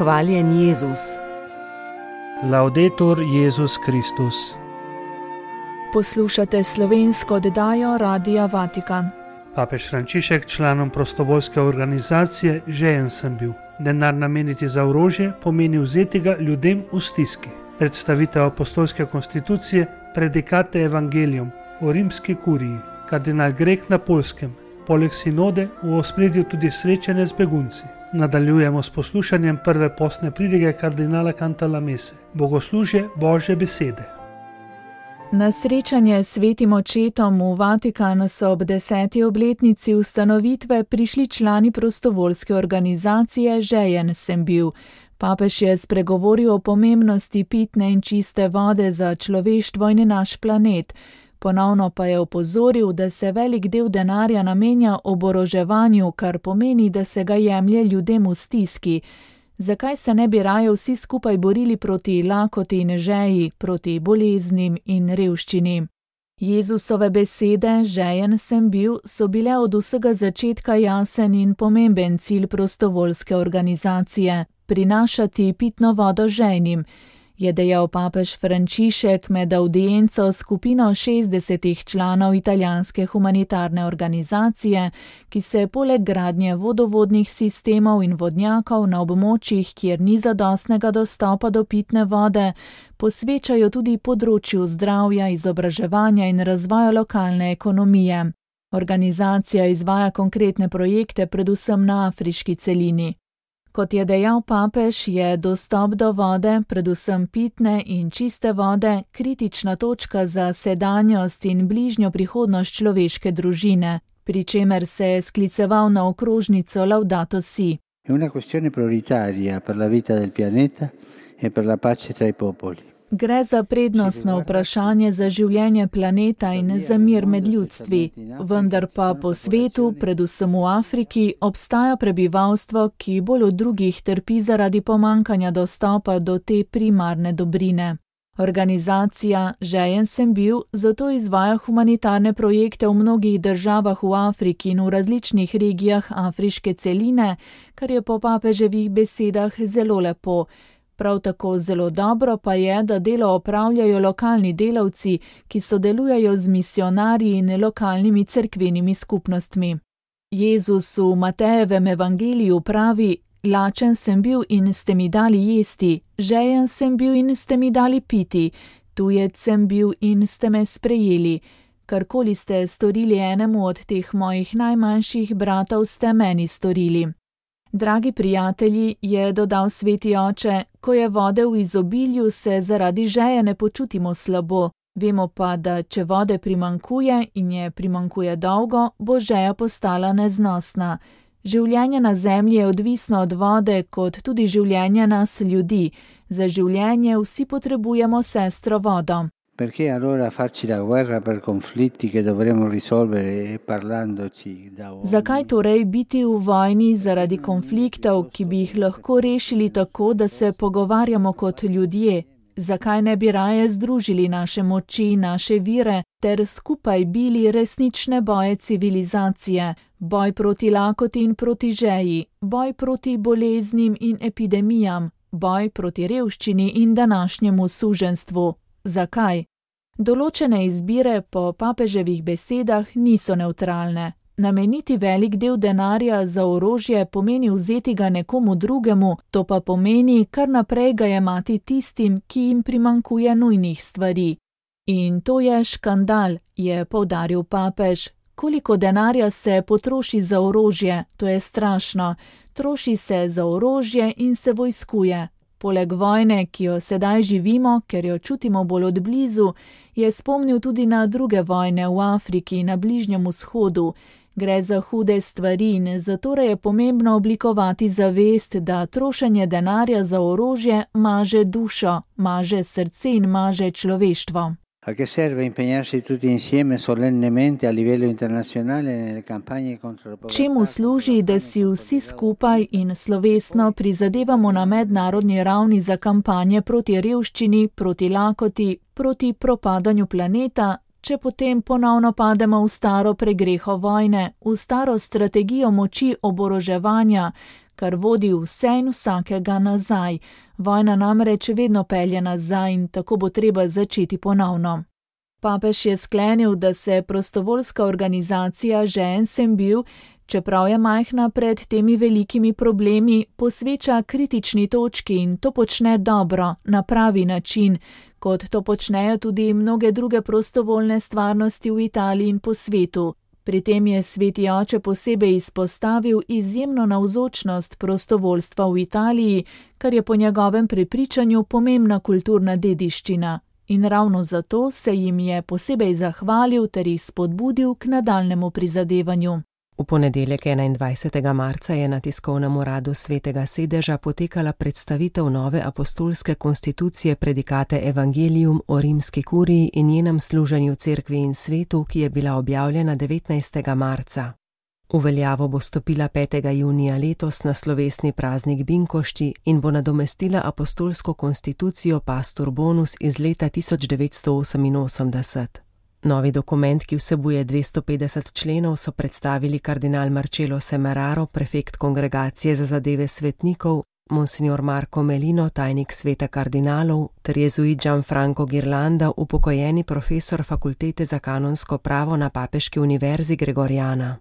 Hvaljen Jezus. Laudetur Jezus Kristus. Poslušate slovensko oddajo Radia Vatikan. Papež Frančišek članom prostovoljske organizacije Žejen sem bil. Denar nameniti za orožje pomeni vzeti ga ljudem v stiski. Predstavitev apostolske konstitucije Predikate Evangelium o rimski kuriji. Kardinal Grek na Poljskem. Poleg sinode v ospredju tudi srečanje z begunci. Nadaljujemo s poslušanjem prve postne pridige kardinala Cantalamesse. Bogoslužje Božje besede. Na srečanje s svetim očetom v Vatikanu so ob 10. obletnici ustanovitve prišli člani prostovoljske organizacije Žejen sem bil. Papež je spregovoril o pomembnosti pitne in čiste vode za človeštvo in naš planet. Ponovno pa je opozoril, da se velik del denarja namenja oboroževanju, kar pomeni, da se ga jemlje ljudem v stiski. Zakaj se ne bi raje vsi skupaj borili proti lakoti in žeji, proti boleznim in revščini? Jezusove besede, žejen sem bil, so bile od vsega začetka jasen in pomemben cilj prostovoljske organizacije – prinašati pitno vodo žejnim, je dejal papež Frančišek med avdienco skupino 60 članov italijanske humanitarne organizacije, ki se poleg gradnje vodovodnih sistemov in vodnjakov na območjih, kjer ni zadostnega dostopa do pitne vode, posvečajo tudi področju zdravja, izobraževanja in razvoja lokalne ekonomije. Organizacija izvaja konkretne projekte predvsem na afriški celini. Kot je dejal papež, je dostop do vode, predvsem pitne in čiste vode, kritična točka za sedanjost in bližnjo prihodnost človeške družine, pri čemer se je skliceval na okrožnico Laudato Si. È una questione prioritaria per la vita del pianeta e per la pace tra i popoli. Gre za prednostno vprašanje za življenje planeta in za mir med ljudstvi, vendar pa po svetu, predvsem v Afriki, obstaja prebivalstvo, ki bolj od drugih trpi zaradi pomankanja dostopa do te primarne dobrine. Organizacija Žejen sem bil zato izvaja humanitarne projekte v mnogih državah v Afriki in v različnih regijah afriške celine, kar je po papeževih besedah zelo lepo. Prav tako zelo dobro pa je, da delo opravljajo lokalni delavci, ki sodelujejo z misijonarji in lokalnimi cerkvenimi skupnostmi. Jezus v Matejevem evangeliju pravi: lačen sem bil in ste mi dali jesti, žejen sem bil in ste mi dali piti, tujec sem bil in ste me sprejeli. Karkoli ste storili enemu od teh mojih najmanjših bratov, ste meni storili. Dragi prijatelji, je dodal sveti oče, ko je vode v izobilju, se zaradi žeje ne počutimo slabo. Vemo pa, da če vode primanjkuje in je primanjkuje dolgo, bo žeja postala neznosna. Življenje na zemlji je odvisno od vode, kot tudi življenje nas ljudi. Za življenje vsi potrebujemo sestro vodo. Perché allora farci la guerra per conflitti che dovremo risolvere parlandoci da uomini? Zakaj torej biti v vojni zaradi konfliktov, ki bi jih lahko rešili tako, da se pogovarjamo kot ljudje? Zakaj ne bi raje združili naše moči, naše vire ter skupaj bili resnične boje civilizacije? Boj proti lakoti in proti žeji, boj proti boleznim in epidemijam, boj proti revščini in današnjemu suženstvu. Zakaj? Določene izbire po papeževih besedah niso nevtralne. Nameniti velik del denarja za orožje pomeni vzeti ga nekomu drugemu, to pa pomeni kar naprej ga jemati tistim, ki jim primanjkuje nujnih stvari. In to je škandal, je poudaril papež. Koliko denarja se potroši za orožje, to je strašno. Troši se za orožje in se vojskuje. Poleg vojne, ki jo sedaj živimo, ker jo čutimo bolj od blizu, je spomnil tudi na druge vojne v Afriki in na Bližnjem vzhodu. Gre za hude stvari in zatorej je pomembno oblikovati zavest, da trošenje denarja za orožje maže dušo, maže srce in maže človeštvo. A che serve impegnarsi tutti insieme solennemente a livello internazionale nelle campagne contro la povertà? Čemu služi, da si vsi skupaj in slovesno prizadevamo na mednarodni ravni za kampanje proti revščini, proti lakoti, proti propadanju planeta, če potem ponovno pademo v staro pregreho vojne, v staro strategijo moči oboroževanja, kar vodi vse in vsakega nazaj. Vojna namreč vedno pelje nazaj in tako bo treba začeti ponovno. Papež je sklenil, da se prostovoljska organizacija Žejen sem bil, čeprav je majhna pred temi velikimi problemi, posveča kritični točki in to počne dobro, na pravi način, kot to počnejo tudi mnoge druge prostovoljne stvarnosti v Italiji in po svetu. Pri tem je sveti oče posebej izpostavil izjemno navzočnost prostovoljstva v Italiji, kar je po njegovem prepričanju pomembna kulturna dediščina. In ravno zato se jim je posebej zahvalil ter jih spodbudil k nadaljnemu prizadevanju. V ponedeljek 21. marca je na tiskovnem uradu Svetega sedeža potekala predstavitev nove apostolske konstitucije Predikate Evangelium o rimski kuriji in njenem služenju cerkvi in svetu, ki je bila objavljena 19. marca. V veljavo bo stopila 5. junija letos na slovesni praznik Binkošti in bo nadomestila apostolsko konstitucijo Pastor Bonus iz leta 1988. Novi dokument, ki vsebuje 250 členov, so predstavili kardinal Marcello Semeraro, prefekt Kongregacije za zadeve svetnikov, monsignor Marco Melino, tajnik sveta kardinalov, ter jezuit Gianfranco Ghirlanda, upokojeni profesor fakultete za kanonsko pravo na Papeški univerzi Gregoriana.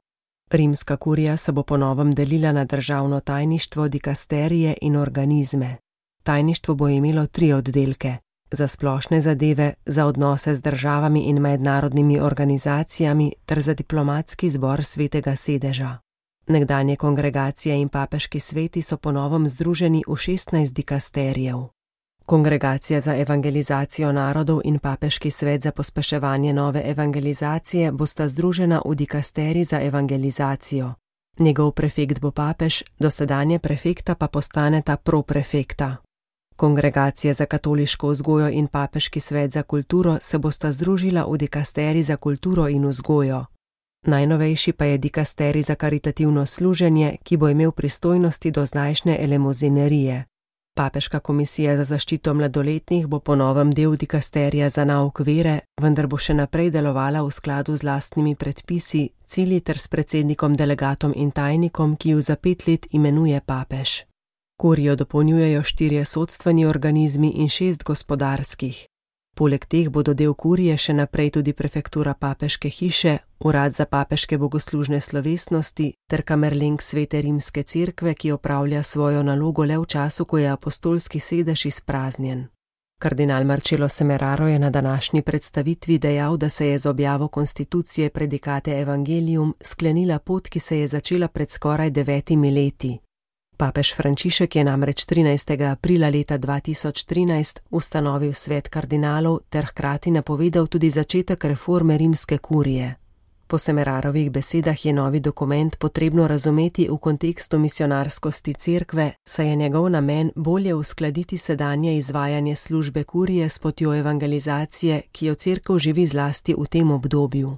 Rimska kurija se bo po novem delila na državno tajništvo, dikasterije in organizme. Tajništvo bo imelo 3 oddelke. Za splošne zadeve, za odnose z državami in mednarodnimi organizacijami ter za diplomatski zbor Svetega sedeža. Nekdanje kongregacije in papeški sveti so po novem združeni v 16 dikasterijev. Kongregacija za evangelizacijo narodov in papeški svet za pospeševanje nove evangelizacije bosta združena v dikasterij za evangelizacijo. Njegov prefekt bo papež, dosedanje prefekta pa postaneta proprefekta. Kongregacija za katoliško vzgojo in papeški svet za kulturo se bosta združila v dikasterij za kulturo in vzgojo. Najnovejši pa je dikasterij za karitativno služenje, ki bo imel pristojnosti do zdajšnje elemozinerije. Papeška komisija za zaščito mladoletnih bo po novem del dikasterija za nauk vere, vendar bo še naprej delovala v skladu z lastnimi predpisi, cilji ter s predsednikom, delegatom in tajnikom, ki ju za 5 let imenuje papež. Kurijo dopolnjujejo 4 sodstveni organizmi in 6 gospodarskih. Poleg teh bodo del kurije še naprej tudi prefektura papeške hiše, urad za papeške bogoslužne slovesnosti ter kamerleng Svete rimske cerkve, ki opravlja svojo nalogo le v času, ko je apostolski sedež izpraznjen. Kardinal Marcello Semeraro je na današnji predstavitvi dejal, da se je z objavo konstitucije Predikate Evangelium sklenila pot, ki se je začela pred skoraj 9 leti. Papež Frančišek je namreč 13. aprila leta 2013 ustanovil svet kardinalov ter hkrati napovedal tudi začetek reforme rimske kurije. Po Semerarovih besedah je novi dokument potrebno razumeti v kontekstu misionarskosti cerkve, saj je njegov namen bolje uskladiti sedanje izvajanje službe kurije s potjo evangelizacije, ki jo cerkev živi zlasti v tem obdobju.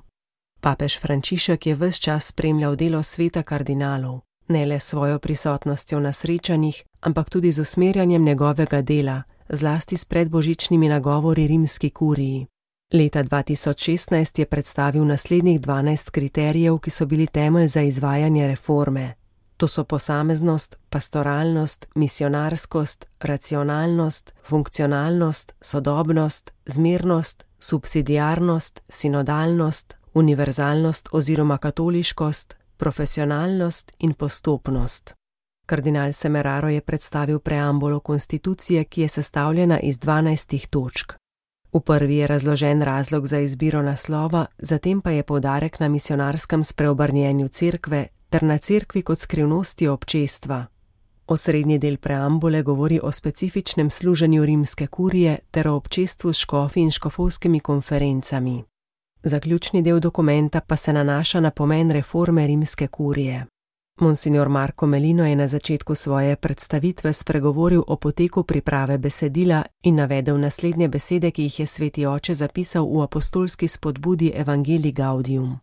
Papež Frančišek je ves čas spremljal delo sveta kardinalov. Ne le svojo prisotnostjo na srečanjih, ampak tudi z usmerjanjem njegovega dela, zlasti s predbožičnimi nagovori rimski kuriji. Leta 2016 je predstavil naslednjih 12 kriterijev, ki so bili temelj za izvajanje reforme. To so posameznost, pastoralnost, misionarskost, racionalnost, funkcionalnost, sodobnost, zmernost, subsidiarnost, sinodalnost, univerzalnost oziroma katoliškost, profesionalnost in postopnost. Kardinal Semeraro je predstavil preambulo konstitucije, ki je sestavljena iz 12 točk. V prvi je razložen razlog za izbiro naslova, zatem pa je poudarek na misionarskem spreobrnjenju cerkve ter na cerkvi kot skrivnosti občestva. Osrednji del preambule govori o specifičnem služenju rimske kurije ter o občestvu s škofi in škofovskimi konferencami. Zaključni del dokumenta pa se nanaša na pomen reforme rimske kurije. Monsignor Marco Melino je na začetku svoje predstavitve spregovoril o poteku priprave besedila in navedel naslednje besede, ki jih je sveti oče zapisal v apostolski spodbudi Evangelii Gaudium.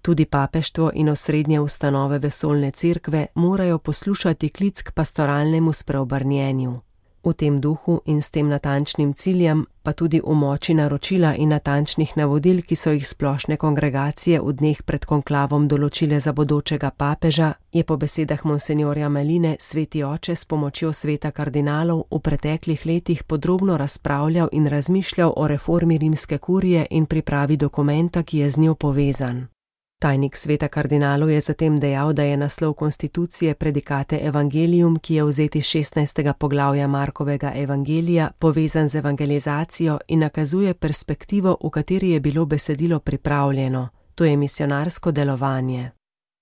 Tudi papeštvo in osrednje ustanove vesoljne cerkve morajo poslušati klic k pastoralnemu spreobrnjenju. V tem duhu in s tem natančnim ciljem, pa tudi v moči naročila in natančnih navodil, ki so jih splošne kongregacije v dneh pred konklavom določile za bodočega papeža, je po besedah monsenjorja Meline sveti oče s pomočjo sveta kardinalov v preteklih letih podrobno razpravljal in razmišljal o reformi rimske kurije in pripravi dokumenta, ki je z njo povezan. Tajnik sveta kardinalov je zatem dejal, da je naslov konstitucije Predikate Evangelium, ki je vzet iz 16. poglavja Markovega evangelija, povezan z evangelizacijo in nakazuje perspektivo, v kateri je bilo besedilo pripravljeno, to je misionarsko delovanje.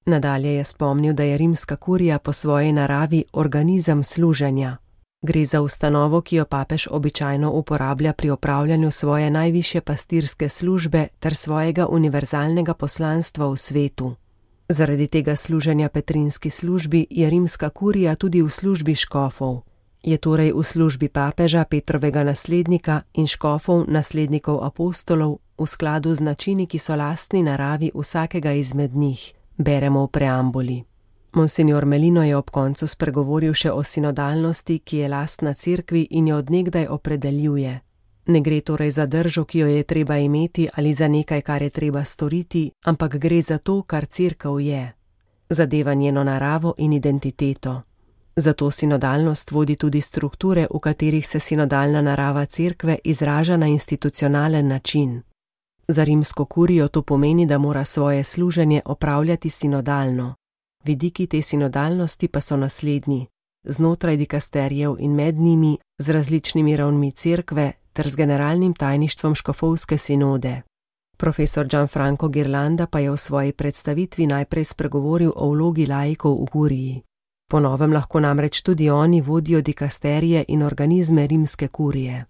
Nadalje je spomnil, da je rimska kurija po svoji naravi organizem služenja. Gre za ustanovo, ki jo papež običajno uporablja pri opravljanju svoje najvišje pastirske službe ter svojega univerzalnega poslanstva v svetu. Zaradi tega služenja petrinski službi je rimska kurija tudi v službi škofov. Je torej v službi papeža, Petrovega naslednika in škofov, naslednikov apostolov, v skladu z načini, ki so lastni naravi vsakega izmed njih, beremo v preambuli. Monsinjor Melino je ob koncu spregovoril še o sinodalnosti, ki je lastna cerkvi in jo od nekdaj opredeljuje. Ne gre torej za držo, ki jo je treba imeti, ali za nekaj, kar je treba storiti, ampak gre za to, kar cerkev je. Zadeva njeno naravo in identiteto. Zato sinodalnost vodi tudi strukture, v katerih se sinodalna narava cerkve izraža na institucionalen način. Za rimsko kurijo to pomeni, da mora svoje služenje opravljati sinodalno. Vidiki te sinodalnosti pa so naslednji, znotraj dikasterijev in med njimi, z različnimi ravnmi cerkve ter z generalnim tajništvom škofovske sinode. Profesor Gianfranco Ghirlanda pa je v svoji predstavitvi najprej spregovoril o vlogi laikov v kuriji. Po novem lahko namreč tudi oni vodijo dikasterije in organizme rimske kurije.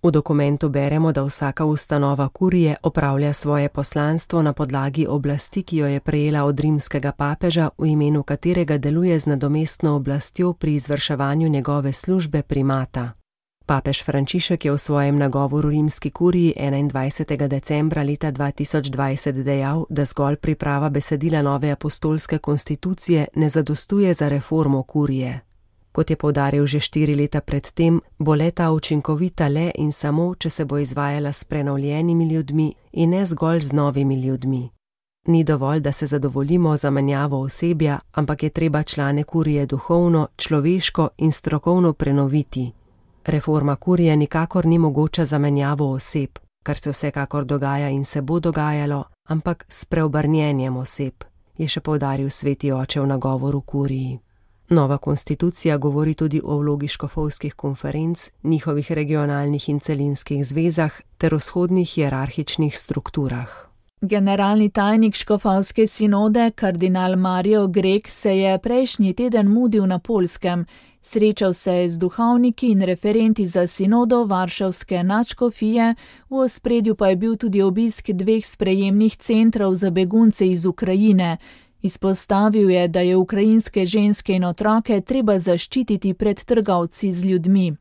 V dokumentu beremo, da vsaka ustanova kurije opravlja svoje poslanstvo na podlagi oblasti, ki jo je prejela od rimskega papeža, v imenu katerega deluje z nadomestno oblastjo pri izvrševanju njegove službe primata. Papež Frančišek je v svojem nagovoru rimski kuriji 21. decembra leta 2020 dejal, da zgolj priprava besedila nove apostolske konstitucije ne zadostuje za reformo kurije. Kot je poudaril že 4 leta predtem, bo le-ta učinkovita le in samo, če se bo izvajala s prenovljenimi ljudmi in ne zgolj z novimi ljudmi. Ni dovolj, da se zadovoljimo z zamenjavo osebja, ampak je treba člane kurije duhovno, človeško in strokovno prenoviti. Reforma kurije nikakor ni mogoča zamenjavo oseb, kar se vsekakor dogaja in se bo dogajalo, ampak s preobrnjenjem oseb, je še poudaril sveti oče v nagovoru kuriji. Nova konstitucija govori tudi o vlogi škofovskih konferenc, njihovih regionalnih in celinskih zvezah ter vzhodnih hierarhičnih strukturah. Generalni tajnik škofovske sinode, kardinal Mario Grek, se je prejšnji teden mudil na Poljskem. Srečal se je z duhovniki in referenti za sinodo varšavske nadškofije, v ospredju pa je bil tudi obisk 2 sprejemnih centrov za begunce iz Ukrajine. Izpostavil je, da je ukrajinske ženske in otroke treba zaščititi pred trgovci z ljudmi.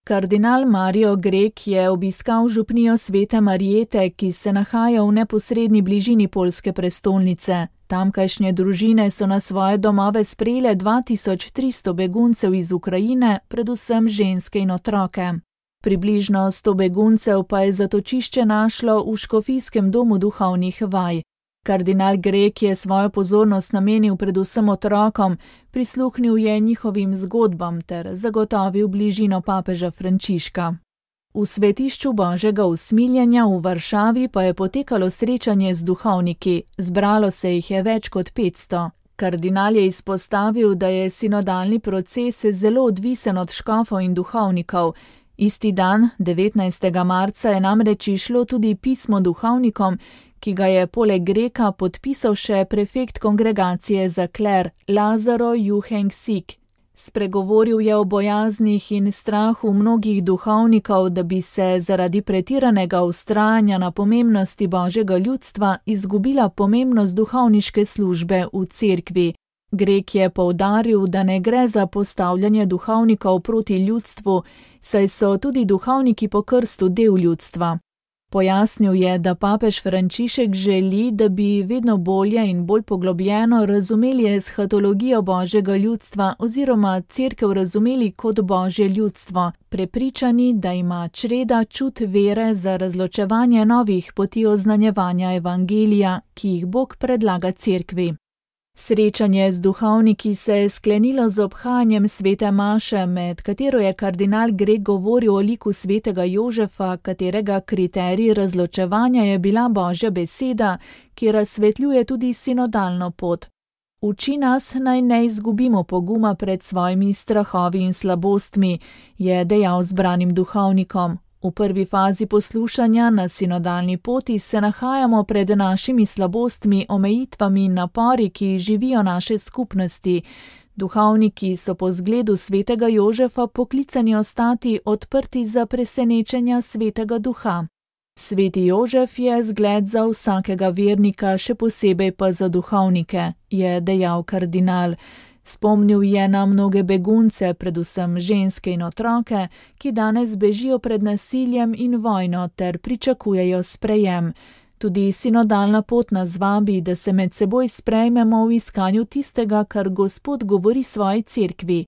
Kardinal Mario Grek je obiskal župnijo Svete Marijete, ki se nahaja v neposredni bližini poljske prestolnice. Tamkajšnje družine so na svoje domove sprejele 2300 beguncev iz Ukrajine, predvsem ženske in otroke. Približno 100 beguncev pa je zatočišče našlo v škofijskem domu duhovnih vaj. Kardinal Grek je svojo pozornost namenil predvsem otrokom, prisluhnil je njihovim zgodbam ter zagotovil bližino papeža Frančiška. V svetišču Božjega usmiljenja v Varšavi pa je potekalo srečanje z duhovniki, zbralo se jih je več kot 500. Kardinal je izpostavil, da je sinodalni proces zelo odvisen od škofov in duhovnikov. Isti dan, 19. marca, je namreč išlo tudi pismo duhovnikom, ki ga je poleg Greka podpisal še prefekt kongregacije za kler Lazaro Juheng-Sik. Spregovoril je o bojaznih in strahu mnogih duhovnikov, da bi se zaradi pretiranega vztrajanja na pomembnosti Božjega ljudstva izgubila pomembnost duhovniške službe v cerkvi. Grek je poudaril, da ne gre za postavljanje duhovnikov proti ljudstvu, saj so tudi duhovniki po krstu del ljudstva. Pojasnil je, da papež Frančišek želi, da bi vedno bolje in bolj poglobljeno razumeli eshatologijo Božjega ljudstva oziroma Cerkev razumeli kot Božje ljudstvo, prepričani, da ima čreda čut vere za razločevanje novih poti oznanjevanja evangelija, ki jih Bog predlaga Cerkvi. Srečanje z duhovniki se je sklenilo z obhajanjem svete maše, med katero je kardinal Greg govoril o liku svetega Jožefa, katerega kriterij razločevanja je bila Božja beseda, ki razsvetljuje tudi sinodalno pot. Uči nas, naj ne izgubimo poguma pred svojimi strahovi in slabostmi, je dejal zbranim duhovnikom. V prvi fazi poslušanja na sinodalni poti se nahajamo pred našimi slabostmi, omejitvami in napori, ki živijo naše skupnosti. Duhovniki so po zgledu svetega Jožefa poklicani ostati odprti za presenečenja svetega duha. Sveti Jožef je zgled za vsakega vernika, še posebej pa za duhovnike, je dejal kardinal. Spomnil je na mnoge begunce, predvsem ženske in otroke, ki danes bežijo pred nasiljem in vojno ter pričakujejo sprejem. Tudi sinodalna pot nas vabi, da se med seboj sprejmemo v iskanju tistega, kar Gospod govori svoji cerkvi.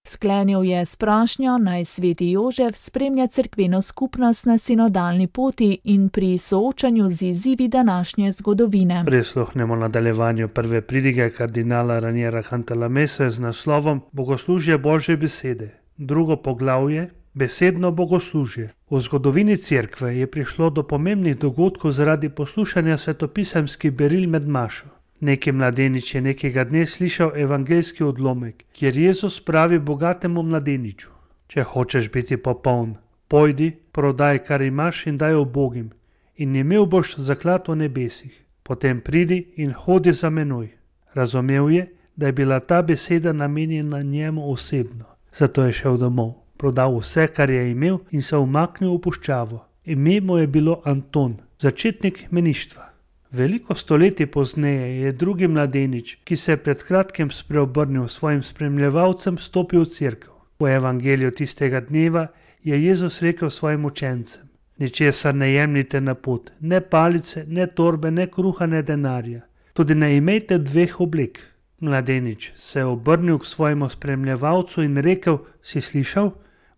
Sklenil je s prošnjo, naj sveti Jožef spremlja cerkveno skupnost na sinodalni poti in pri soočanju z izzivi današnje zgodovine. Prisluhnemo nadaljevanju prve pridige kardinala Raniera Cantalamesse z naslovom Bogoslužje Božje besede. Drugo poglavje, besedno bogoslužje. V zgodovini cerkve je prišlo do pomembnih dogodkov zaradi poslušanja svetopisemskih beril med mašo. Neki mladenič je nekega dne slišal evangeljski odlomek, kjer Jezus pravi bogatemu mladeniču: Če hočeš biti popoln, pojdi, prodaj, kar imaš in daj ubogim, in imel boš zaklad v nebesih. Potem pridi in hodi za menoj. Razumel je, da je bila ta beseda namenjena njemu osebno. Zato je šel domov, prodal vse, kar je imel, in se umaknil v puščavo. Ime mu je bilo Anton, začetnik meništva. Veliko stoletij pozneje je drugi mladenič, ki se je pred kratkim spreobrnil svojim spremljevalcem, stopil v cerkev. V evangeliju tistega dneva je Jezus rekel svojim učencem: Ničesar ne jemljite na pot, ne palice, ne torbe, ne kruha, ne denarja. Tudi ne imejte dveh oblek. Mladenič se je obrnil k svojemu spremljevalcu in rekel: Si slišal?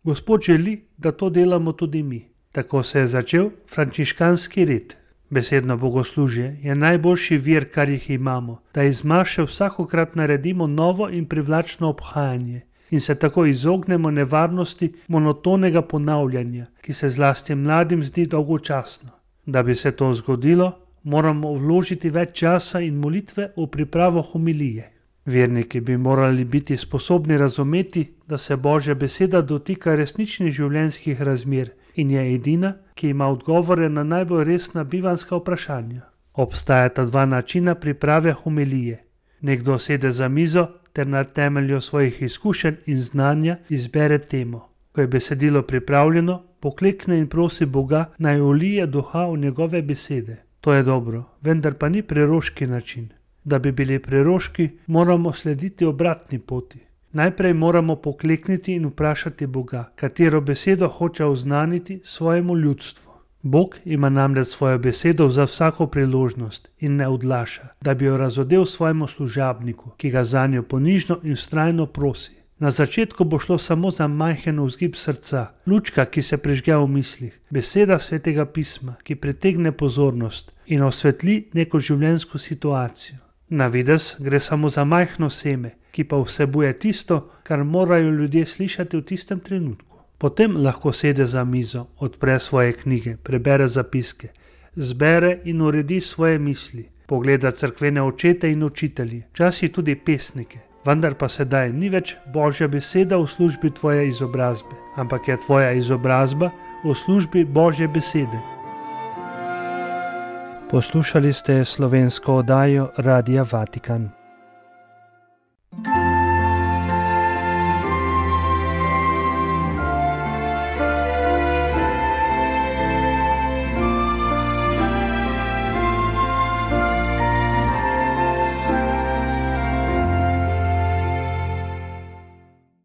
Gospod želi, da to delamo tudi mi. Tako se je začel frančiškanski red. Besedno bogoslužje je najboljši vir, kar jih imamo, da iz maše vsakokrat naredimo novo in privlačno obhajanje in se tako izognemo nevarnosti monotonega ponavljanja, ki se zlasti mladim zdi dolgočasno. Da bi se to zgodilo, moramo vložiti več časa in molitve v pripravo homilije. Verniki bi morali biti sposobni razumeti, da se Božja beseda dotika resničnih življenjskih razmer in je edina, ki ima odgovore na najbolj resna bivanska vprašanja. Obstajata dva načina priprave homilije. Nekdo sede za mizo ter na temelju svojih izkušenj in znanja izbere temo. Ko je besedilo pripravljeno, poklekne in prosi Boga, naj ulije duha v njegove besede. To je dobro, vendar pa ni preroški način. Da bi bili preroški, moramo slediti obratni poti. Najprej moramo poklekniti in vprašati Boga, katero besedo hoče oznaniti svojemu ljudstvu. Bog ima namreč svojo besedo za vsako priložnost in ne odlaša, da bi jo razodel svojemu služabniku, ki ga zanjo ponižno in vztrajno prosi. Na začetku bo šlo samo za majhen vzgib srca, lučka, ki se prižge v mislih, beseda svetega pisma, ki pritegne pozornost in osvetli neko življenjsko situacijo. Na videz gre samo za majhno seme, ki pa vsebuje tisto, kar morajo ljudje slišati v tistem trenutku. Potem lahko sede za mizo, odpre svoje knjige, prebere zapiske, zbere in uredi svoje misli, pogleda cerkvene očete in učitelje, včasih tudi pesnike. Vendar pa sedaj ni več Božja beseda v službi tvoje izobrazbe, ampak je tvoja izobrazba v službi Božje besede. Poslušali ste slovensko oddajo Radia Vatikan.